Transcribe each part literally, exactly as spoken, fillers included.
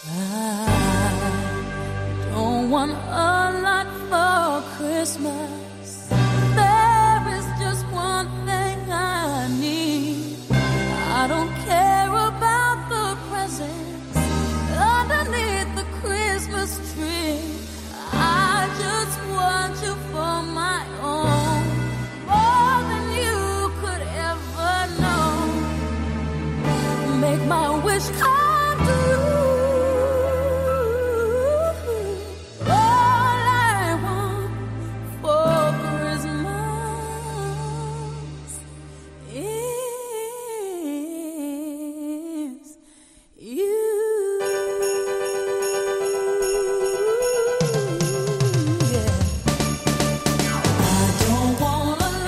I don't want a lot for Christmas. There is just one thing I need. I don't care about the presents underneath the Christmas tree. I just want you for my own, more than you could ever know. Make my wish come true.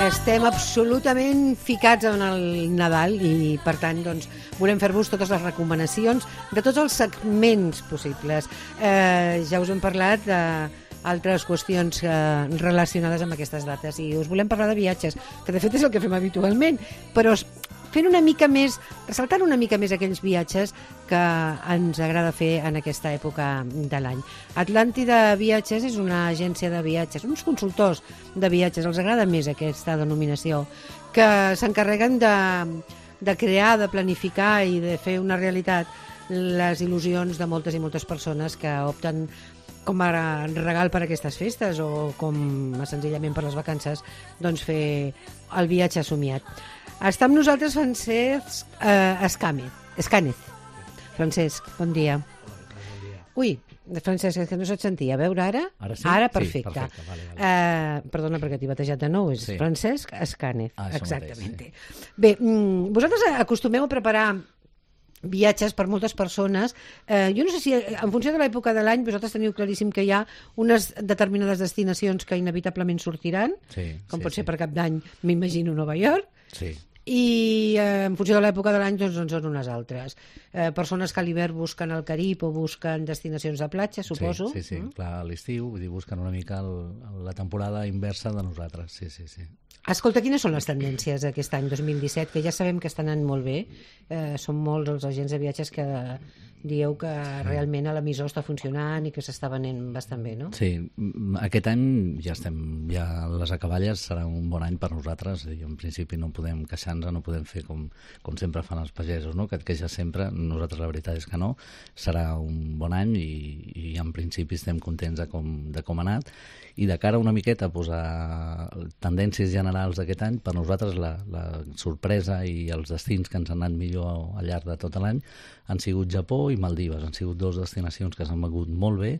Estem absolutament ficats en el Nadal i, per tant, doncs, volem fer-vos totes les recomanacions de tots els segments possibles. Eh, ja us hem parlat d'altres qüestions eh, relacionades amb aquestes dates i us volem parlar de viatges, que de fet és el que fem habitualment, però fent una mica més, ressaltant una mica més aquells viatges que ens agrada fer en aquesta època de l'any. Atlàntida Viatges és una agència de viatges, uns consultors de viatges, els agrada més aquesta denominació, que s'encarreguen de, de crear, de planificar i de fer una realitat les il·lusions de moltes i moltes persones que opten com a regal per a aquestes festes o com a senzillament per les vacances, doncs fer el viatge somiat. Està amb nosaltres Francesc eh, Escàmez. Escànez. Francesc, bon dia. Ui, Francesc, és que no se't sentia. A veure ara? Ara sí? Ara, perfecte. Sí, perfecte. Vale, vale. Eh, perdona perquè t'he batejat de nou, és sí. Francesc Escànez. Ah, exactament. Mateix, sí. Bé, vosaltres acostumeu a preparar viatges per moltes persones. Eh, jo no sé si en funció de l'època de l'any vosaltres teniu claríssim que hi ha unes determinades destinacions que inevitablement sortiran, sí, com sí, pot ser sí. per Cap d'Any, m'imagino Nova York, Sí. i eh, en funció de l'època de l'any doncs, doncs són unes altres. Eh, persones que a l'hivern busquen el Carib o busquen destinacions de platja, suposo. Sí, sí, sí. Mm? Clar, a l'estiu, vull dir, busquen una mica el, la temporada inversa de nosaltres, sí, sí, sí. Escolta, quines són les tendències d'aquest any dos mil disset, que ja sabem que estan anant molt bé? Eh, són molts els agents de viatges que dieu que realment a l'emissor està funcionant i que s'està venent bastant bé, no? Sí, aquest any ja estem, ja les acaballes serà un bon any per nosaltres i en principi no podem queixar-nos, no podem fer com, com sempre fan els pagesos, no? Que et queixes sempre, nosaltres la veritat és que no, serà un bon any i, i en principi estem contents de com, de com ha anat i de cara una miqueta a posar tendències generals d'aquest any, per nosaltres la, la sorpresa i els destins que ens han anat millor al llarg de tot l'any han sigut Japó i Maldives. Han sigut dues destinacions que s'han begut molt bé.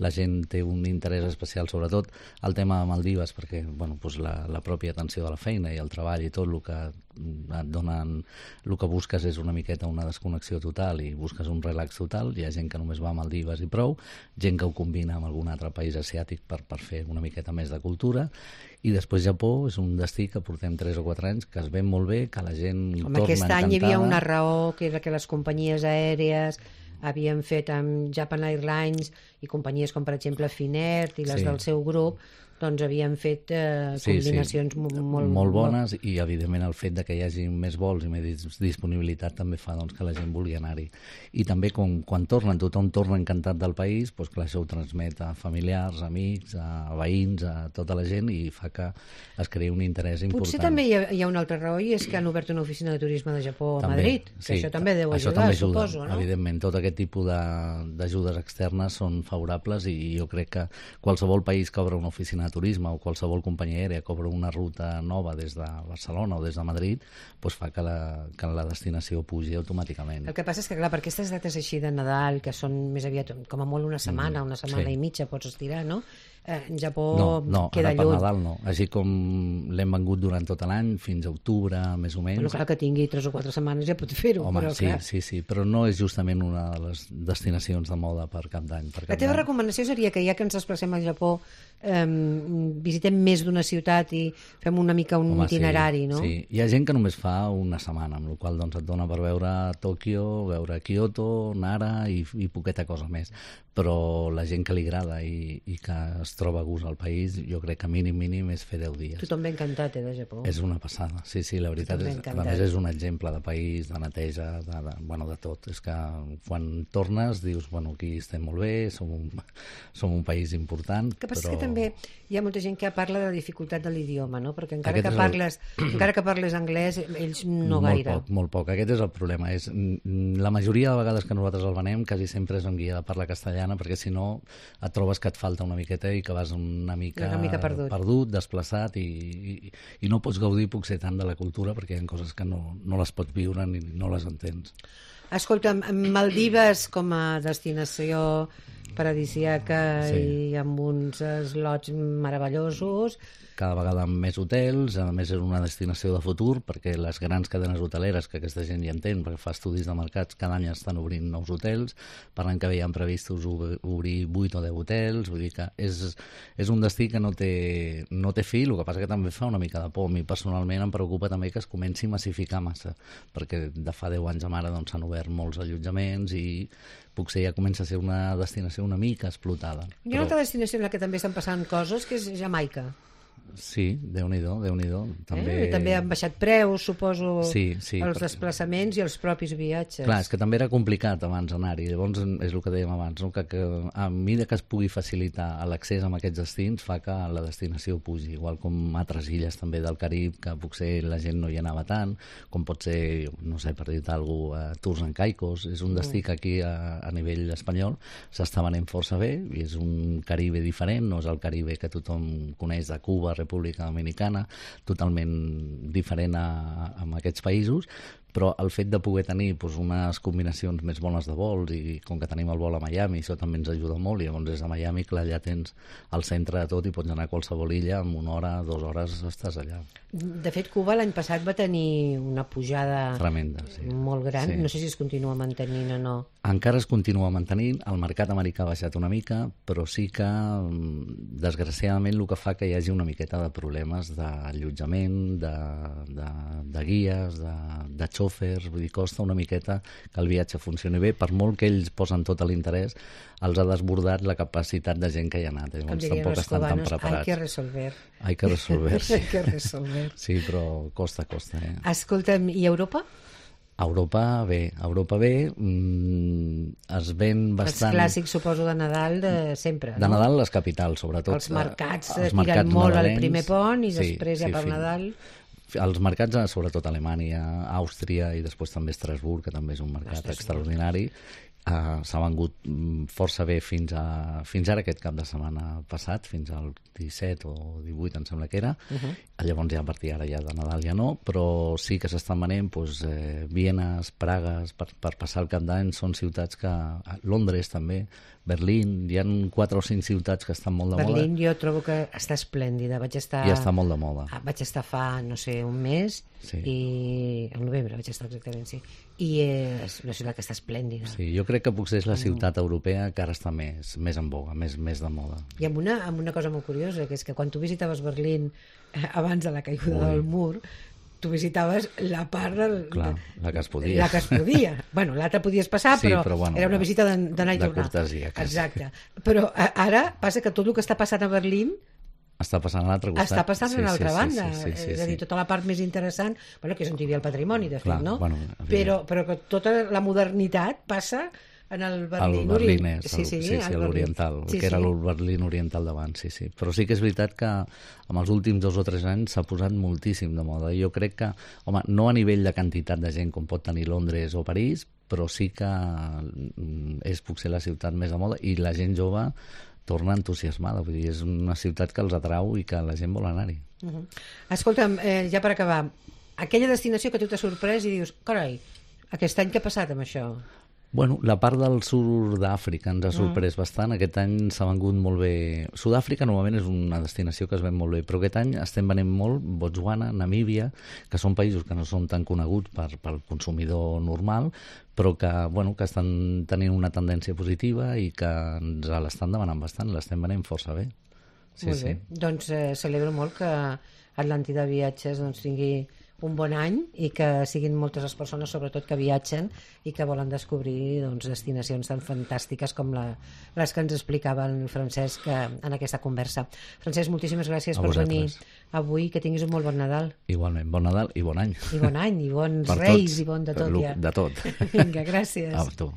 La gent té un interès especial, sobretot el tema de Maldives, perquè bueno, doncs la, la pròpia atenció de la feina i el treball i tot el que et donen, el que busques és una miqueta una desconnexió total i busques un relax total. Hi ha gent que només va a Maldives i prou, gent que ho combina amb algun altre país asiàtic per, per fer una miqueta més de cultura. I després Japó és un destí que portem tres o quatre anys, que es ven molt bé, que la gent Home, torna aquest encantada. any hi havia una raó, que era que les companyies aèries havien fet amb Japan Airlines i companyies com per exemple Finnair i les Sí. del seu grup, doncs havien fet eh, Sí, combinacions sí. molt, molt, molt bones i evidentment el fet de que hi hagi més vols i més disponibilitat també fa doncs, que la gent vulgui anar-hi. I també com, quan tornen, tothom torna encantat del país, doncs clar, això ho transmet a familiars, amics, a veïns, a tota la gent i fa que es creï un interès important. Potser també hi ha, hi ha una altra raó i és que han obert una oficina de turisme de Japó a També, Madrid, que sí, això també deu això ajudar, també ajuda, suposo, no? Evidentment, tot aquest tipus d'ajudes externes són favorables i jo crec que qualsevol país que obre una oficina de turisme o qualsevol companyia aèria que obre una ruta nova des de Barcelona o des de Madrid doncs fa que la, que la destinació pugi automàticament. El que passa és que, clar, per aquestes dates així de Nadal, que són més aviat com a molt una setmana, una setmana sí. i mitja, pots estirar, no? Eh, en Japó No, no, queda ara per lluny. Nadal no. Així com l'hem vengut durant tot l'any, fins a octubre, més o menys. Bueno, clar, que tingui tres o quatre setmanes ja pot fer-ho, Home, però sí, clar. sí, sí, però no és justament una de les destinacions de moda per Cap d'Any. Per La Cap teva d'Any. recomanació seria que ja que ens desplacem al Japó eh, visitem més d'una ciutat i fem una mica un Home, itinerari, sí, no? Sí, hi ha gent que només fa una setmana, amb la qual doncs, et dona per veure Tòquio, veure Kyoto, Nara i, i poqueta cosa més. Però la gent que li agrada i, i que es es troba a gust al país, jo crec que mínim, mínim és fer deu dies. Tothom ben encantat, eh, de Japó. És una passada, sí, sí, la veritat és, a més és un exemple de país, de neteja, de, de, bueno, de tot. És que quan tornes dius, bueno, aquí estem molt bé, som un, som un país important, que passa però... que també hi ha molta gent que parla de la dificultat de l'idioma, no? Perquè encara Aquest que, és parles, el... encara que parles anglès, ells no molt gaire. Poc, molt poc, aquest és el problema. És, la majoria de vegades que nosaltres el venem quasi sempre és en guia de parla castellana, perquè si no et trobes que et falta una miqueta i que vas una mica, una mica perdut. perdut, desplaçat, i, i, i no pots gaudir potser tant de la cultura perquè hi ha coses que no, no les pots viure ni no les entens. Escolta'm, Maldives com a destinació paradisíaca Sí. i amb uns slots meravellosos. Cada vegada amb més hotels, a més és una destinació de futur, perquè les grans cadenes hoteleres, que aquesta gent hi entén, perquè fa estudis de mercats, cada any estan obrint nous hotels, per l'any que ve hi ha previstos obrir vuit o deu hotels, vull dir que és, és un destí que no té, no té fi, el que passa que també fa una mica de por. A mi personalment em preocupa també que es comenci a massificar massa, perquè de fa deu anys a ara doncs, s'han obert molts allotjaments i potser ja comença a ser una destinació una mica explotada. Hi ha una altra destinació en la que també estan passant coses, que és Jamaica. Sí, Déu-n'hi-do, Déu-n'hi-do. També... Eh? també han baixat preus, suposo, sí, sí, els perquè... desplaçaments i els propis viatges. Clar, és que també era complicat abans anar-hi, llavors és el que dèiem abans, no? que, que a mesura que es pugui facilitar l'accés a aquests destins fa que la destinació pugi, igual com altres illes també del Carib, que potser la gent no hi anava tant, com pot ser, no sé, per dir-te alguna cosa, Tours en Caicos, és un destí que aquí a, a nivell espanyol s'està venent força bé, i és un Caribe diferent, no és el Caribe que tothom coneix de Cuba, República Dominicana, totalment diferent a, a aquests països, però el fet de poder tenir doncs, unes combinacions més bones de vols, i com que tenim el vol a Miami, això també ens ajuda molt, i llavors des de Miami, clar, allà tens el centre de tot i pots anar a qualsevol illa, en una hora, dues hores estàs allà. De fet, Cuba l'any passat va tenir una pujada tremenda, sí. molt gran, Sí. no sé si es continua mantenint o no. Encara es continua mantenint, el mercat americà ha baixat una mica, però sí que, desgraciadament, el que fa que hi hagi una miqueta de problemes d'allotjament, de, de, de guies, de, de xòfers, vull dir, costa una miqueta que el viatge funcioni bé, per molt que ells posen tot l'interès, els ha desbordat la capacitat de gent que hi ha anat, llavors tampoc estan tan preparats. Hay que resolver. Hay que resolver, sí. Hay que resolver. Sí, però costa, costa, eh? Escolta'm, i Europa? Europa bé, Europa bé, mm, es ven bastant... Els clàssics, suposo, de Nadal de sempre, de no? Nadal, les capitals, sobretot. Els mercats els tiren mercats molt nadalencs, al primer pont i sí, després ja sí, per fin- Nadal... Els mercats, sobretot Alemanya, Àustria i després també Estrasburg, que també és un mercat Estrasburg. extraordinari, uh, s'ha vengut mm, força bé fins, a, fins ara aquest cap de setmana passat, fins al disset o divuit em sembla que era. Uh -huh. Llavors ja a partir d'ara ja de Nadal ja no, però sí que s'estan venent doncs, eh, Vienes, Pragues, per, per passar el cap d'any. Són ciutats que... Londres també, Berlín, hi ha quatre o cinc ciutats que estan molt de Berlín moda. jo trobo que està esplèndida. Vaig estar... I està molt de moda. Ah, vaig estar fa, no sé, un mes, Sí. i al novembre vaig estar exactament, sí. I és una ciutat que està esplèndida. Sí, jo crec que potser és la ciutat europea que ara està més, més en boga, més, més de moda. I amb una, amb una cosa molt curiosa, que és que quan tu visitaves Berlín eh, abans de la caiguda Ui. del mur, tu visitaves la part del... Clar, la que es podia. La que es podia. Bueno, l'altra podies passar, Sí, però, però bueno, era una visita d'an- d'anar i de tornar. cortesia, quasi. Exacte. Però a, ara passa que tot el que està passant a Berlín Està passant a l'altre costat. està passant sí, a l'altra sí, banda. Sí, sí, sí, sí, és a dir, sí. tota la part més interessant, bueno, que és on hi havia el patrimoni, de fet, Clar, no? bueno, però, però que tota la modernitat passa en el Berlín, El Berlín Orient. és, el, sí, sí, sí, l'oriental, sí, que era sí. el Berlín oriental d'abans, sí, sí. Però sí que és veritat que en els últims dos o tres anys s'ha posat moltíssim de moda. Jo crec que, home, no a nivell de quantitat de gent com pot tenir Londres o París, però sí que mm, és potser la ciutat més de moda, i la gent jove torna entusiasmada, vull dir, és una ciutat que els atrau i que la gent vol anar-hi. Uh -huh. Escolta'm, eh, ja per acabar, aquella destinació que tu t'ha sorprès i dius, carai, aquest any què ha passat amb això? Bueno, la part del sud d'Àfrica ens ha sorprès mm. bastant. Aquest any s'ha vengut molt bé. Sud-àfrica normalment és una destinació que es ven molt bé, però aquest any estem venent molt Botswana, Namíbia, que són països que no són tan coneguts per, pel consumidor normal, però que, bueno, que estan tenint una tendència positiva i que ens l'estan demanant bastant, l'estem venent força bé. Sí, Molt sí. bé. Doncs eh, celebro molt que Atlàntida Viatges doncs, tingui un bon any i que siguin moltes les persones, sobretot que viatgen i que volen descobrir doncs, destinacions tan fantàstiques com la, les que ens explicava el Francesc en aquesta conversa. Francesc, moltíssimes gràcies per venir avui, que tinguis un molt bon Nadal. Igualment, bon Nadal i bon any. I bon any, i bons Per Reis, tots, i bon de tot, ja. De tot. Vinga, gràcies. A tu.